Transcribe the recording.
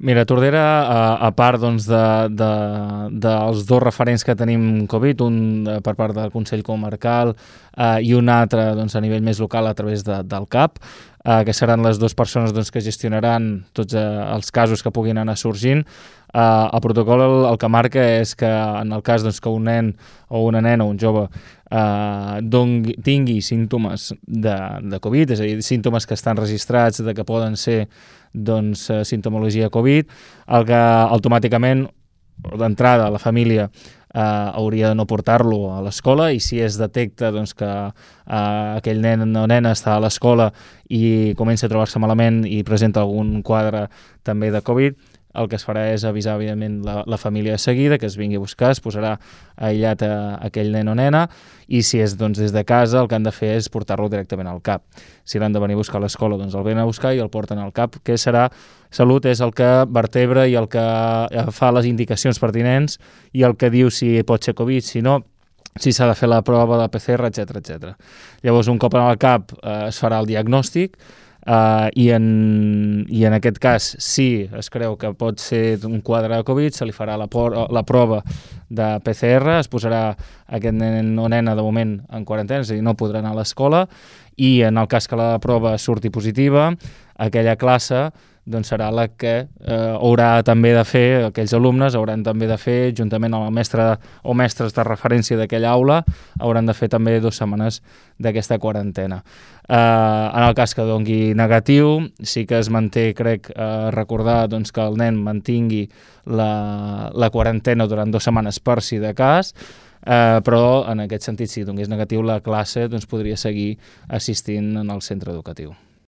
Mira, Tordera, a part doncs, dels dos referents que tenim Covid, un per part del Consell Comarcal i un altre doncs, a nivell més local a través del CAP, que seran les dues persones doncs, que gestionaran tots els casos que puguin anar sorgint. El protocol el que marca és que en el cas doncs, que un nen o una nena o un jove tingui símptomes de Covid, és a dir, símptomes que estan registrats de que poden ser doncs, simptomologia Covid, el que automàticament d'entrada la família hauria de no portar-lo a l'escola, i si es detecta doncs, que aquell nen o nena està a l'escola i comença a trobar-se malament i presenta algun quadre també de Covid, el que es farà és avisar, evidentment, la família de seguida, que es vingui a buscar, es posarà aïllat a aquell nen o nena, i si és doncs, des de casa, el que han de fer és portar-lo directament al CAP. Si l'han de venir a buscar a l'escola, doncs el venen a buscar i el porten al CAP, que serà Salut, és el que vertebra i el que fa les indicacions pertinents i el que diu si pot ser Covid, si no, si s'ha de fer la prova de PCR, etc. Llavors, un cop al CAP es farà el diagnòstic, i en aquest cas, si es creu que pot ser un quadre de Covid, se li farà la prova de PCR, es posarà aquest nen o nena de moment en quarantena, és a dir, no podrà anar a l'escola, i en el cas que la prova surti positiva, aquella classe doncs serà la que haurà també de fer, aquells alumnes hauran també de fer, juntament amb el mestre o mestres de referència d'aquella aula, hauran de fer també 2 setmanes d'aquesta quarantena. En el cas que doni negatiu, sí que es manté, crec, recordar doncs, que el nen mantingui la quarantena durant 2 setmanes per si de cas, però en aquest sentit, si donés negatiu, la classe doncs, podria seguir assistint en el centre educatiu.